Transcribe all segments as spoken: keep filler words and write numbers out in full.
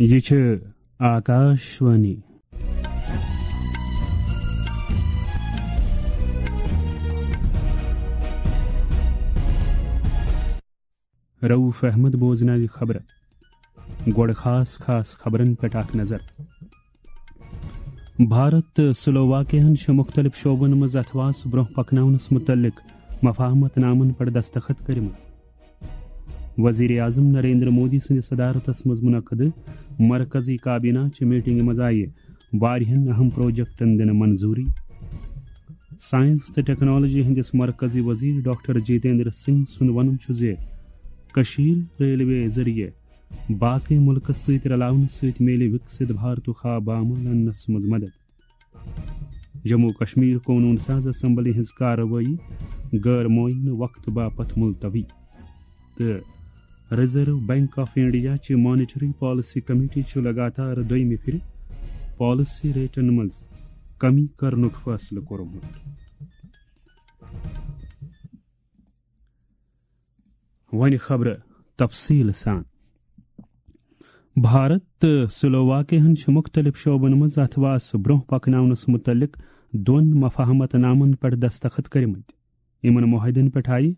یہِ چھِ آکاشوانی۔ رؤف احمد بوزناوِ خبرٕ۔ گۄڈٕ خاص خاص خبرن پٮ۪ٹھ اکھ نظر۔ بھارت تہٕ سلوواکیاہن چھِ مُختٔلِف شعبن منٛز اتھواس برونٛہہ پکناونس مُتعلق مفاہمت نامن پٮ۪ٹھ دستخط کٔرمٕتۍ۔ وزیر اعظم نریندر مودی سٕنٛدِ صدارتس منٛز منعقدٕ مرکزی کابینہ چہِ میٹنگہِ منٛز آیہِ واریاہن اہم پروجیکٹن دِنہٕ منظوٗری۔ ساینس تہٕ ٹیکنالوجی ہٕنٛدِس مرکزی وزیر ڈاکٹر جتیندر سنگھ سُنٛد وَنُن چھُ زِ کٔشیٖر ریلوے ذٔریعہٕ باقٕے مُلکَس سۭتۍ رلاونہٕ سۭتۍ میلہِ وِکسِت بھارتُک خواب عمل اننَس منٛز مدد۔ جموں و کشمیر قونوٗن ساز اسمبلی ہٕنٛز کاروٲیی غٲر معینہٕ وقتہٕ باپتھ ملتوی۔ تہٕ ریزرو بینک آف انڈیا چہِ مانیٹری پالیسی کمیٹی چھُ لگاتار دوٚیمہِ پھِرِ پالیسی ریٹن منٛز کمی کرنُک فٲصلہٕ کوٚرمُت۔ وۄنۍ خبرٕ تفصیٖل سان۔ بھارت تہٕ سلوواکیاہن چھِ مُختٔلِف شعبن منٛز اتھواس برونٛہہ پکناونس مُتعلق دۄن مفاہمت نامن پٮ۪ٹھ دستخط کٔرمٕتۍ۔ یِمن معاہدن پٮ۪ٹھ آیہِ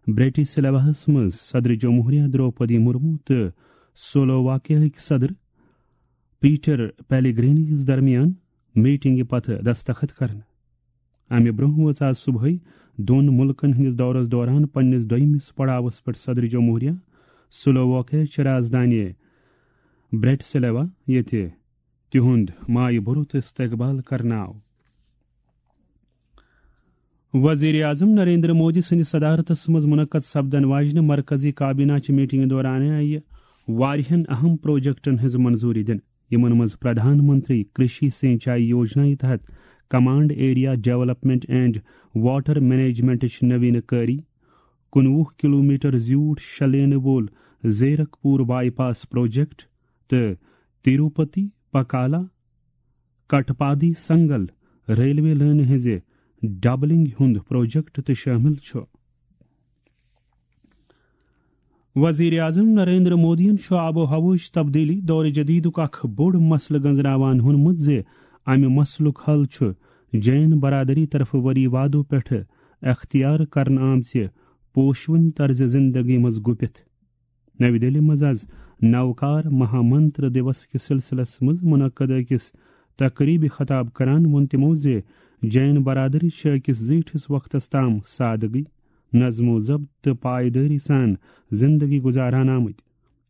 برٹش سلواہس منٛز صدر جمہوریہ دروپدی مرمو تہٕ سلوواکیاہٕکۍ صدر پیٹر پیلیگرینیَس درمیان میٹنگہِ پتہٕ دستخط کرنہٕ۔ امہِ برونٛہہ وٲژ آز صبحٲے دۄن مُلکن ہٕنٛدِس دورس دوران پننِس دوٚیمِس پڑاوس پٮ۪ٹھ صدر جمہوریہ سلوواکیاہٕچ رازدانہِ برٹسلیوا، ییٚتہِ تِہُنٛد مایہِ بھرُت استقبال کرنہٕ آو۔ وزیر اعظم نریندر مودی سٕنٛدِ صدارتس منٛز منعقد سپدن واجنہِ مرکزی کابینہ چہِ میٹنگہِ دوران آیہِ واریاہن اہم پروجیکٹن ہٕنٛز منظوٗری دِنہٕ، یِمن منٛز پردھان منتری کرشی سینچائی یوجنا تحت command area development and water مینجمنٹٕچ نویٖنہٕ کٲری، کُنوُہ کلومیٹر زیوٗٹھ شےٚ لینہٕ وول زیرک پوٗر بائی پاس پروجیکٹ تہٕ تروپتی پکالا کٹپادی سنگل ریلوے لٲنہِ ہٕنٛزِ ڈبلنگ ہُنٛد پروجیکٹ تہِ شٲمِل چھُ۔ وزیر اعظم نریندر مودیَن چھُ آب و ہوہٕچ تبدیلی دور جدیدُک اکھ بوٚڑ مسلہٕ گنزراوان ووٚنمُت زِ امہِ مسلُک حل چھُ جین برادری طرفہٕ ؤری وادو پٮ۪ٹھٕ اختیار کرنہٕ آمژِ پوشوٕنۍ طرزِ زندگی منٛز گُپِتھ۔ نَوِ دِلہِ منٛز آز نوکار مہا منتر دیوس کِس سلسلس منٛز منعقد أکِس تقریبہِ خطاب کران ووٚن تِمو زِ جین برادری چھِ أکِس زیٖٹھِس وقتس تام سادگی، نظم و ضبط تہٕ پائیدٲری سان زندگی گزاران آمٕتۍ۔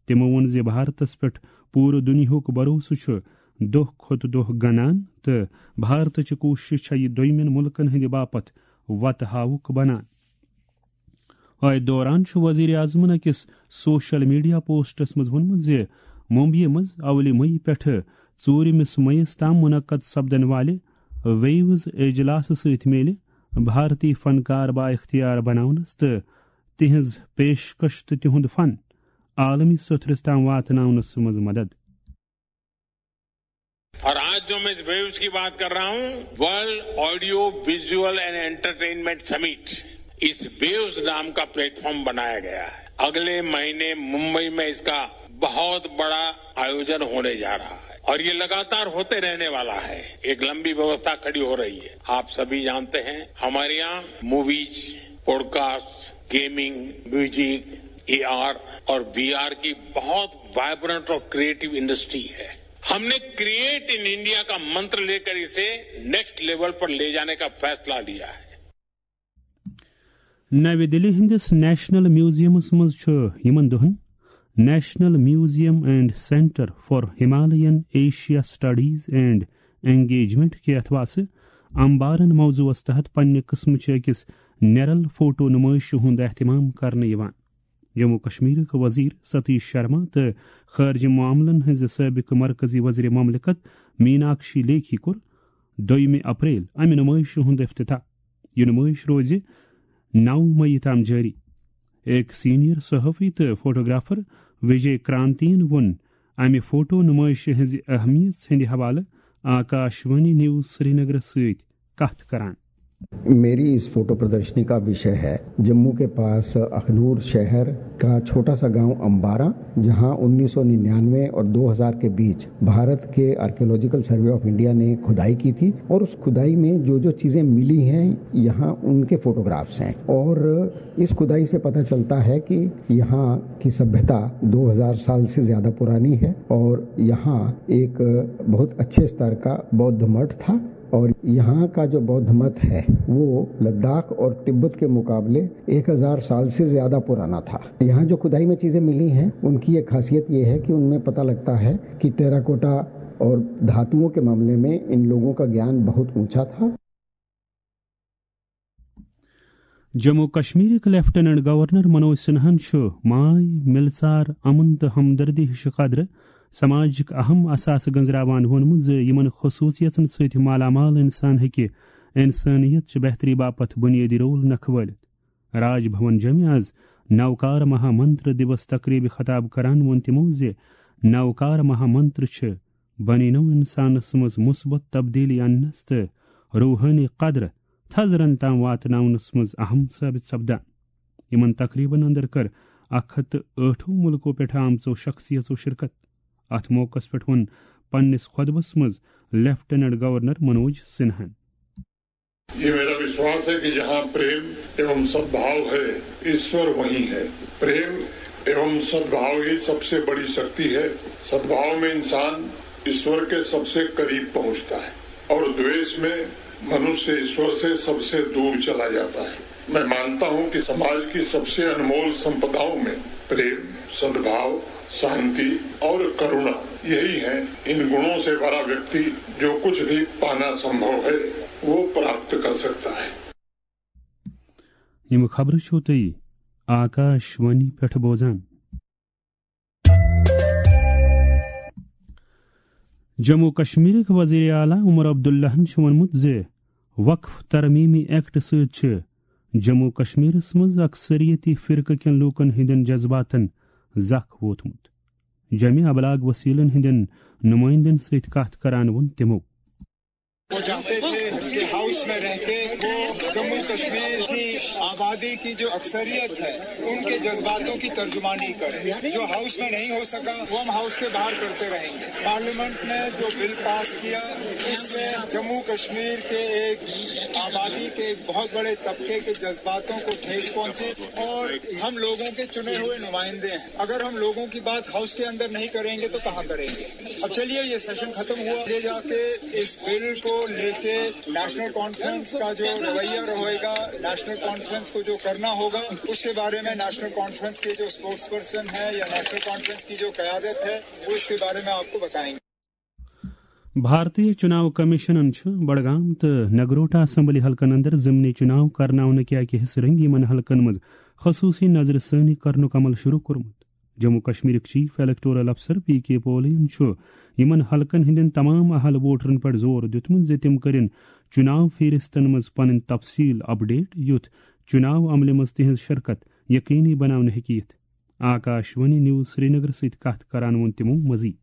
تِمو ووٚن زِ بھارتس پٮ۪ٹھ پوٗرٕ دُنیاہُک بھروسہٕ چھُ دۄہ کھۄتہٕ دۄہ گنان تہٕ بھارتٕچہِ کوٗشش چھےٚ یہِ دوٚیمٮ۪ن مُلکن ہٕنٛدِ باپتھ وتہٕ ہاوُک بنان۔ أتھۍ دوران چھُ وزیر اعظمَن أکِس سوشل میڈیا پوسٹس منٛز ووٚنمُت زِ ممبیہِ منٛز اولہِ مئی پٮ۪ٹھٕ ژوٗرِمِس مئیس تام منعقد سپدن والہِ ویوز اجلاسہٕ سۭتۍ میلہِ بھارتی فنکار با اختیار بناونس تہٕ تِہنٛز پیشکش تہٕ تِہُنٛد فن عالمی سطحس تام واتناونس منٛز مدد۔ और आज जो मैं इस वेव्स की बात कर रहा हूं, world audio visual and entertainment summit इस वेव्स नाम का प्लेटफॉर्म बनाया गया है। अगले महीने मुंबई में इसका बहुत बड़ा आयोजन होने जा रहा है और ये लगातार होते रहने वाला है। एक लंबी व्यवस्था खड़ी हो रही है। आप सभी जानते हैं, हमारे यहाँ movies, podcast, gaming, music, AR और वीआर की बहुत वाइब्रेंट और क्रिएटिव इंडस्ट्री है। हमने क्रिएट इन इंडिया का मंत्र लेकर इसे नेक्स्ट लेवल पर ले जाने का फैसला लिया है। نَوِ دِلہِ ہٕنٛدِس نیشنل میوزیمس منٛز چھُ یِمن دۄہن National Museum and Centre for Himalayan Asia Studies and Engagement کہِ اتھواسہٕ امبارن موضوعس تحت پننہِ قٕسمٕچہِ أکِس نیرل فوٹو نُمٲیشہِ ہُنٛد اہتمام کرنہٕ یِوان۔ جموں و کشمیرٕکۍ وزیر ستیش شرما تہٕ خارجہ معاملن ہٕنٛزِ سٲبقہٕ مرکزی وزیر مملکت میناکشی لیکھی کوٚر دوٚیمہِ اپریل امہِ نُمٲیشہِ ہُنٛد افتتاح۔ یہِ نُمٲیش روزِ نَو مئی تام جٲری۔ أکۍ سینئر صحافی تہٕ فوٹوگرافر وجے کرانتین ووٚن امہِ فوٹو نُمٲیشہِ ہٕنٛزِ اہمیت ہٕنٛدِ حوالہٕ آکاشوانی نیوز سرینگرس سۭتۍ کتھ کران۔ मेरी इस फोटो प्रदर्शनी का विषय है जम्मू के पास अखनूर शहर का छोटा सा गांव अंबारा, जहां उन्नीस सौ निन्यानवे और दो हज़ार के बीच भारत के आर्कियोलॉजिकल सर्वे ऑफ इंडिया ने खुदाई की थी और उस खुदाई में जो जो चीजें मिली हैं, यहाँ उनके फोटोग्राफ्स हैं। और इस खुदाई से पता चलता है कि यहाँ की सभ्यता दो हज़ार साल से ज्यादा पुरानी है और यहाँ एक बहुत अच्छे स्तर का बौद्ध मठ था। और यहाँ का जो बौद्ध मत है, वो लद्दाख और तिब्बत के मुकाबले एक हज़ार साल से ज्यादा पुराना था। यहाँ जो खुदाई में चीजें मिली हैं, उनकी एक खासियत ये है कि उनमें पता लगता है कि टेराकोटा और धातुओं के मामले में इन लोगों का ज्ञान बहुत ऊंचा था। جموں کشمیرٕکۍ لیفٹیننٹ گورنر منوج سنہَن چھُ ماے، مِلژار، امن تہٕ ہمدردی ہِش قدرٕ سماجٕکۍ اہم اثاثہٕ گٔنٛزراوان ووٚنمُت زِ یِمن خصوٗصیژن سۭتۍ مالا مال انسان ہیٚکہِ انسٲنیت چہِ بہتری باپتھ بُنیٲدی رول نکھٕ وٲلِتھ۔ راج بھون جوٚمہِ آز نوکار مہا منتر دیوس تقریبہِ خطاب کران ووٚن تِمو زِ نوکار مہا منتر چھِ بنی نوع انسانس منٛز مثبت تبدیلی اننس تہٕ روحٲنی قدر تھزرن تام واتناونس منٛز اہم ثٲبت سپدان۔ یِمن تقریبن اندر کٔر اکھ ہتھ تہٕ ٲٹھو مُلکو پٮ۪ٹھ آمژو شخصیژو شرکت۔ اتھ موقعس پٮ۪ٹھ ووٚن پننِس خطبس منٛز لیفٹیننٹ گورنر منوج سنہن۔ ये मेरा विश्वास है कि जहाँ प्रेम एवं सद्भाव है, ईश्वर वहीं है। प्रेम एवं सद्भाव ही सबसे बड़ी शक्ति है। सद्भाव में इंसान ईश्वर के सबसे करीब पहुँचता है और द्वेष में मनुष्य ईश्वर से सबसे दूर चला जाता है। मैं मानता हूँ कि समाज की सबसे अनमोल संपदाओं में प्रेम, सद्भाव, शांति और करुणा यही है। इन गुणों से भरा व्यक्ति जो कुछ भी पाना संभव है, वो प्राप्त कर सकता है। یِم خبرٕ چھِو تُہۍ آکاش وانی پٮ۪ٹھ بوزان۔ جموں کشمیرٕکۍ وزیر اعلیٰ عمر عبداللہَن چھُ ووٚنمُت زِ وقف ترمیمی ایکٹ سۭتۍ چھِ جموں کشمیرس منٛز اکثریتی فرقہٕ کٮ۪ن لوٗکن ہٕنٛدٮ۪ن جذباتن زکھ ووتمُت۔ جمعی ابلاغ وسیلن ہٕنٛدٮ۪ن نمٲیندن سۭتۍ کتھ کران ووٚن تِمو۔ وہ چاہتے تھے کہ ہاؤس میں رہ کے وہ جموں کشمیر کی آبادی کی جو اکثریت ہے، ان کے جذباتوں کی ترجمانی کریں۔ جو ہاؤس میں نہیں ہو سکا، وہ ہم ہاؤس کے باہر کرتے رہیں گے۔ پارلیمنٹ نے جو بل پاس کیا، اس سے جموں کشمیر کے ایک آبادی کے ایک بہت بڑے طبقے کے جذباتوں کو ٹھیس پہنچی اور ہم لوگوں کے چنے ہوئے نمائندے ہیں۔ اگر ہم لوگوں کی بات ہاؤس کے اندر نہیں کریں گے تو کہاں کریں گے؟ اب چلیے، یہ سیشن ختم ہوا، آگے جا کے اس بل کو لے کے نیشنل کانفرنس کا جو رویہ رہے گا، نیشنل کانفرنس کو جو کرنا ہوگا، اس کے بارے میں نیشنل کانفرنس کے جو اسپوکس پرسن ہیں یا نیشنل کانفرنس کی جو قیادت ہے، وہ اس کے بارے میں آپ کو بتائیں گے۔ بھارتی چناو کمیشنن چھُ بڈگام تہٕ نگروٹا اسمبلی حلقن اندر ضمنی چناو کرناونہٕ کہِ اکہِ حصہٕ رنگی یِمن حلقن منٛز خصوصی نظر ثٲنی کرنُک عمل شروع کوٚرمُت۔ جموں کشمیرٕکۍ چیف الیکٹورل افسر پی کے پولین چھُ یِمن حلقن ہٕنٛدٮ۪ن تمام اہل ووٹرن پٮ۪ٹھ زور دیُتمُت زِ تِم کٔرِن چناو فہرستن منٛز پنٕنۍ تفصیل اپڈیٹ، یُتھ چناو عملہِ منٛز تِہنٛز شرکت یقینی بناونہٕ ہیٚکہِ یِتھ۔ آکاش وانی نیوز سرینگر سۭتۍ کتھ کران ووٚن تِمو مزید۔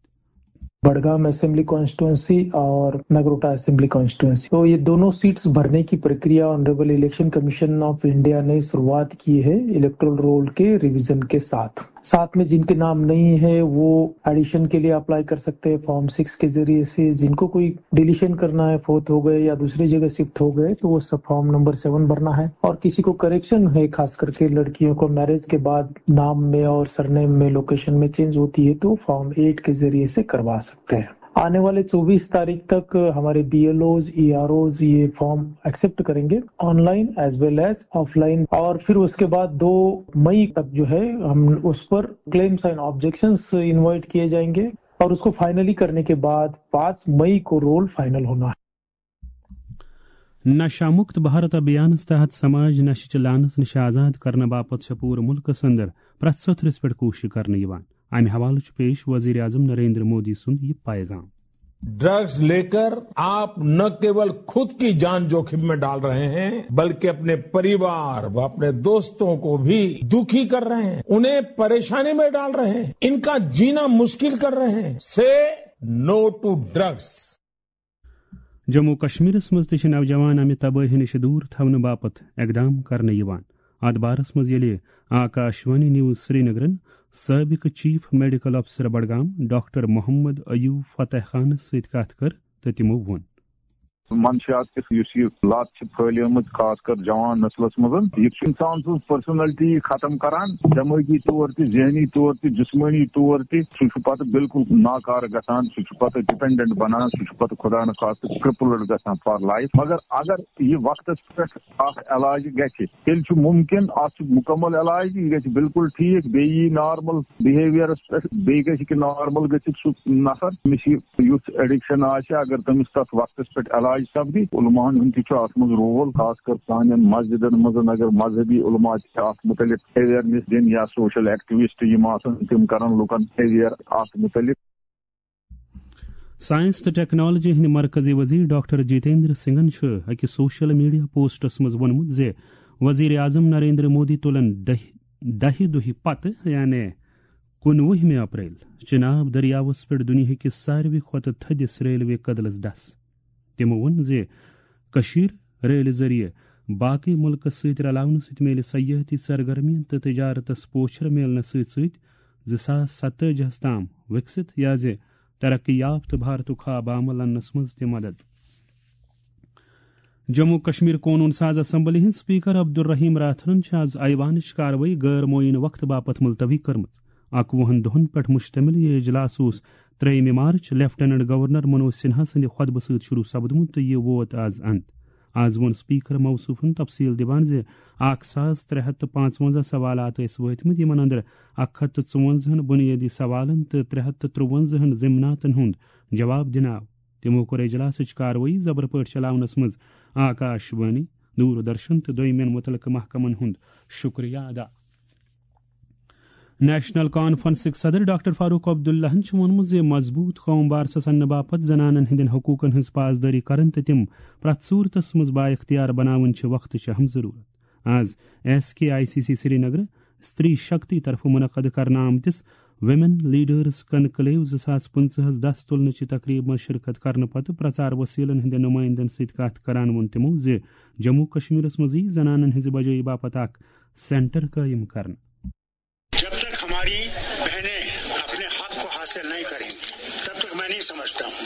بڑگام اسمبلی کانسٹیٹوئنسی اور نگروٹا اسمبلی کانسٹیٹوئنسی، تو یہ دونوں سیٹس بھرنے کی پرکریا honourable election commission of India نے شروعات کی ہے الیکٹورل رول کے ریویژن کے ساتھ۔ ساتھ میں جن کے نام نہیں ہے، وہ ایڈیشن کے لیے اپلائی کر سکتے ہیں فارم سکس کے ذریعے سے۔ جن کو کوئی ڈیلیشن کرنا ہے، فوت ہو گئے یا دوسری جگہ شفٹ ہو گئے، تو وہ سب فارم نمبر سیون بھرنا ہے۔ اور کسی کو کریکشن ہے، خاص کر کے لڑکیوں کو میرج کے بعد نام میں اور سرنیم میں، لوکیشن میں چینج ہوتی ہے، تو فارم ایٹ کے ذریعے سے کروا سکتے ہیں۔ آنے والے چوبیس تاریخ تک ہمارے B L Os, E R Os یہ فارم ایکسپٹ کریں گے، online as well as offline. اور پھر اس کے بعد دو مئی تک جو ہے، ہم اس پر کلیمز اینڈ آبجیکشنز انوائٹ کیے جائیں گے اور اس کو فائنلی کرنے کے بعد پانچ مئی کو رول فائنل ہونا ہے۔ نشہ مکت بھارت ابھیانس تحت سماج نشہٕ چہِ لعنتہٕ نِش آزاد کرنہٕ باپتھ چھےٚ پوٗرٕ مُلکس اندر پرٛٮ۪تھ سطرس پٮ۪ٹھ کوٗشش کرنہٕ یِوان۔ امہِ حوالہٕ چھُ پیش وزیر اعظم نریندر مودی سُنٛد یہِ پیغام۔ ڈرگز لے کر آپ نہ کیول خود کی جان جوخم میں ڈال رہے ہیں، بلکہ اپنے پریوار و اپنے دوستوں کو بھی دکھی کر رہے ہیں، انہیں پریشانی میں ڈال رہے ہیں، ان کا جینا مشکل کر رہے ہیں۔ سے نو ٹو ڈرگز۔ جموں کشمیرس منٛز تہِ چھِ نوجوان امہِ تبٲہی نِش دوٗر تھاونہٕ باپتھ اقدام کرنہٕ یِوان۔ اتھ بارس منٛز ییٚلہِ آکاشوانی نیوز سرینگرن سٲبقہٕ چیف میڈیکل افسر بڈگام ڈاکٹر محمد ایوب فتح خانس سۭتۍ کتھ کٔر تہٕ تِمو ووٚن۔ منشیات کِس یُس یہِ لت چھِ پھٲلیمٕژ خاص کر جوان نسلس منٛز، یہِ چھُ انسان سٕنٛز پرسنلٹی ختم کران، دمٲغی طور تہِ، ذہنی طور تہِ، جسمٲنی طور تہِ۔ سُہ چھُ پتہٕ بالکل ناکارٕ گژھان، سُہ چھُ پتہٕ ڈپینڈنٹ بنان، سُہ چھُ پتہٕ خدا نہ خاصہٕ کرپلڈ گژھان فار لائف۔ مگر اگر یہِ وقتس پٮ۪ٹھ اکھ علاج گژھِ، تیٚلہِ چھُ مُمکِن، اتھ چھُ مُکمل علاج، یہِ گژھِ بالکل ٹھیٖک، بیٚیہِ یی نارمل بِہیویرس پٮ۪ٹھ، بیٚیہِ گژھِ کہِ نارمل گٔژھِتھ سُہ نفر، أمِس یہِ یُتھ ایڈکشن آسہِ، اگر تٔمِس تتھ وقتس پٮ۪ٹھ علاج سپدِ۔ علماہن ہُنٛد تہِ چھُ اتھ منٛز رول، خاص کر سانٮ۪ن مسجدن منٛز، اگر مذہبی علماء تہِ چھِ اتھ متعلق اویرنس دِنۍ یا سوشل ایکٹیوسٹ یِم آسن، تِم کرن لُکن اویر اتھ متعلق۔ ساینس تہٕ ٹیکنالوجی ہٕنٛدۍ مرکزی وزیر ڈاکٹر جتیندر سنگھن چھُ أکِس سوشل میڈیا پوسٹس منٛز ووٚنمُت زِ وزیر اعظم نریندر مودی تُلن دہہِ دہہِ دۄہہِ پتہٕ، یعنی کُنوُہمہِ اپریل، چناب دٔریاوس پٮ۪ٹھ دُنیاہکِس ساروی کھۄتہٕ تھٔدِس ریلوے کدلس ڈس۔ تِمو ووٚن زِ کٔشیٖر ریلہِ ذٔریعہٕ باقٕے مُلکس سۭتۍ رلاونہٕ سۭتۍ میلہِ سیاحتی سرگرمیَن تہٕ تجارتس پوچھر میلنس سۭتۍ سۭتۍ زٕ ساس ستٲجی ہَس تام وِکسِت یا زِ ترقی یافتہٕ بھارتُک خواب عمل اننس منٛز تہِ مدد۔ جموں کشمیر قونوٗن ساز اسمبلی ہٕنٛدۍ سپیکر عبدالرحیم راتھرَن چھِ از ایوانٕچ کاروٲیی غٲر معینہ وقتہٕ باپتھ ملتوی کٔرمٕژ۔ اَکوُہَن دۄہَن پٮ۪ٹھ مشتمل یہِ اجلاس اوس ترٛیٚیِمہِ مارچ لیفٹیننٹ گورنر منوج سنہا سٕنٛدِ خطبہٕ سۭتۍ شروع سپدمُت تہٕ یہِ ووت از اند۔ از ووٚن سپیکر موصوفن تفصیل دِوان زِ اکھ ساس ترٛےٚ ہتھ تہٕ پانٛژوَنزاہ سوالات ٲسۍ وٲتمٕتۍ، یِمن اندر اکھ ہتھ تہٕ ژُوَنزاہن بُنیٲدی سوالن تہٕ ترٛےٚ ہتھ تہٕ ترٛوَنزاہن ضمناتن ہُنٛد جواب دِنہٕ آو۔ تِمو کوٚر اجلاسٕچ کاروٲیی زبر پٲٹھۍ چلاونس منٛز آکاش وانی، دوردرشن تہٕ دوٚیمٮ۪ن مُتعلقہٕ محکمن ہُنٛد شُکریہ ادا۔ نیشنل کانفرنسٕکۍ صدر ڈاکٹر فاروق عبداللہن چھُ ووٚنمُت زِ مضبوٗط قوم بارسس اننہٕ باپتھ زنانن ہٕنٛدٮ۪ن حقوٗقن ہٕنٛز پاسدٲری کرٕنۍ تہٕ تِم پرٛٮ۪تھ صوٗرتس منٛز بااختیار بناوٕنۍ چھِ وقتٕچ اہم ضروٗرت۔ از S K I C C Srinagar Stree Shakti طرفہٕ منعقد کرنہٕ آمتِس ویمن لیڈرز کنکلیو زٕ ساس پٕنٛژٕہس دس تُلنٕچہِ تقریبہِ منٛز شرکت کرنہٕ پتہٕ پرچار وسیلن ہٕنٛدٮ۪ن نمائندن سۭتۍ کتھ کران ووٚن تِمو زِ جموں کشمیرس منٛز یِیہِ زنانن ہٕنٛزِ بجٲیی باپتھ اکھ سینٹر قٲیِم کرنہٕ۔ जब तक हमारी बहनें अपने हक को हासिल नहीं करेंगी, तब तक मैं नहीं समझता हूँ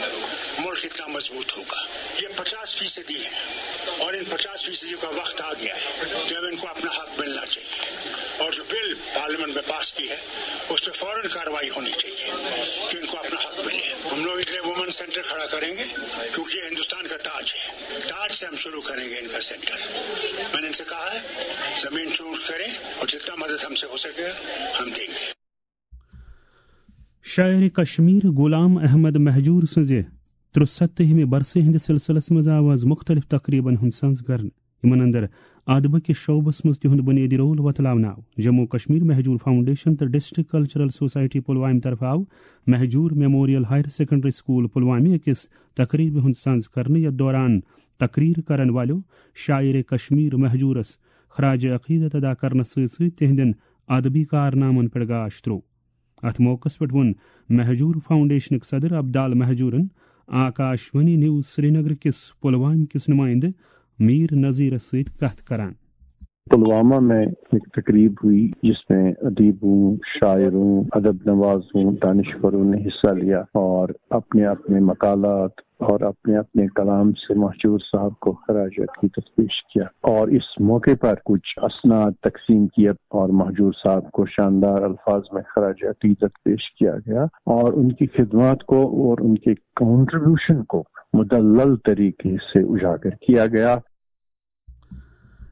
मुल्क इतना मजबूत होगा। ये पचास फीसदी है और इन पचास फीसदी का वक्त आ गया है कि अब इनको अपना हक मिलना चाहिए। और जो बिल पार्लियामेंट में पास की है, उस पर फौरन कार्रवाई होनी चाहिए कि इनको अपना हक मिले। हम लोग इसलिए वुमेन सेंटर खड़ा करेंगे, क्योंकि ये हिंदुस्तान का ताज है। ताज से हम शुरू करेंगे इनका सेंटर। मैंने इनसे कहा है, जमीन चूज करें और जितना मदद हमसे हो सके, हम देंगे। شاعر کشمیر غلام احمد مہجور سٕنٛزِ ترُستٲہِمہِ برسہِ ہٕنٛدِس سلسلس منٛز آو از مُختٔلِف تقریبن ہُنٛد سنز کرنہٕ۔ یِمن اندر ادبہٕ کِس شعبس منٛز تِہُنٛد بُنیٲدی رول وۄتلاونہٕ آو۔ جموں کشمیر مہجور فاؤنڈیشن تہٕ ڈسٹرکٹ کلچرل سوسائٹی پلوامہِ طرفہٕ آو Mahjoor memorial higher secondary school پلوامہِ أکِس تقریبہِ ہُنٛد سنز کرنہٕ، یتھ دوران تقریر کرن والٮ۪و شاعر کشمیر مہجورس خراج عقیدت ادا کرنس سۭتۍ سۭتۍ تِہنٛدٮ۪ن ادبی کارنامن پٮ۪ٹھ گاش تروو۔ اتھ موقعس پٮ۪ٹھ ووٚن مہجور فاؤنڈیشنٕکۍ صدر عبدال مہجورن آکاشوانی نیوز سرینگر کِس پلوامہِ کِس نمائندٕ میر نذیرس سۭتۍ کتھ کران۔ پلوامہ میں ایک تقریب ہوئی، جس میں ادیبوں، شاعروں، ادب نوازوں، دانشوروں نے حصہ لیا اور اپنے اپنے مقالات اور اپنے اپنے کلام سے مہجور صاحب کو خراج عقیدت پیش کیا اور اس موقع پر کچھ اسناد تقسیم کیا اور مہجور صاحب کو شاندار الفاظ میں خراج عقیدت پیش کیا گیا اور ان کی خدمات کو اور ان کے کنٹریبیوشن کو مدلل طریقے سے اجاگر کیا گیا۔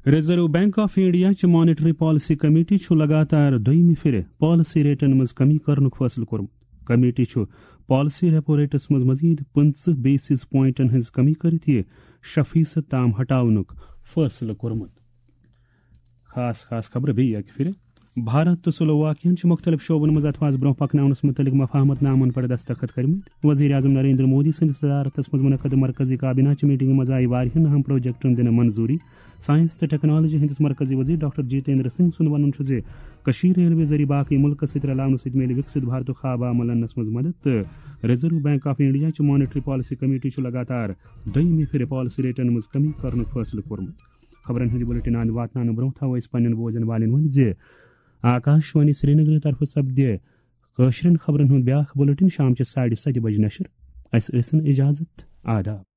ریزرو بینک آف انڈیا چہِ مانیٹری پالیسی کمیٹی چھُ لگاتار دوٚیمہِ پھِرِ پالیسی ریٹن منٛز کمی کرنُک فٲصلہٕ کوٚرمُت۔ کمیٹی چھُ پالیسی ریپو ریٹس منٛز مزید پٕنٛژٕہ بیسز پوائنٹن ہٕنٛز کمی کٔرِتھ یہِ شےٚ فیصد تام ہٹاونُک فٲصلہٕ کوٚرمُت۔ خاص خاص خبرٕ بیٚیہِ اکہِ پھِرِ۔ بھارت تہٕ سلوواکیاہن چھِ مُختٔلِف شعبن منٛز اتھوازٕ برونٛہہ پکناونس مُتعلق مفاہمت نامن پٮ۪ٹھ دستخط کٔرمٕتۍ۔ وزیر اعظم نریندر مودی سٕنٛدِس صدارتس منٛز منعقد مرکزی کابینہ چہِ میٹنگہِ منٛز آیہِ واریاہن اہم پروجیکٹن دِنہٕ منظوٗری۔ ساینس تہٕ ٹیکنالوجی ہٕنٛدِس مرکزی وزیر ڈاکٹر جتیندر سنگھ سُنٛد وَنُن چھُ زِ کٔشیٖر ریلوے ذٔریعہٕ باقٕے مُلکَس سۭتۍ رلاونہٕ سۭتۍ میلہِ وِکسِت بھارتُک خواب عمل اننَس منٛز مدد تہٕ ریزرو بینک آف انڈیا چہِ مانیٹری پالیسی کمیٹی چھُ لگاتار دوٚیمہِ پھِرِ پالیسی ریٹن منٛز کمی کرنُک فٲصلہٕ کوٚرمُت۔ خبرن ہُنٛد یہِ بلیٹن اند واتناونہٕ برونٛہہ تھاوو أسۍ پننٮ۪ن بوزن والٮ۪ن وۄنۍ زِ آکاش وانی سرینگرٕ طرفہٕ سپدِ کٲشرٮ۪ن خبرن ہُنٛد بیاکھ بلیٹن شام چہِ ساڑِ ستہِ بجہِ نشر۔ اسہِ ٲسِن اجازت۔ آداب۔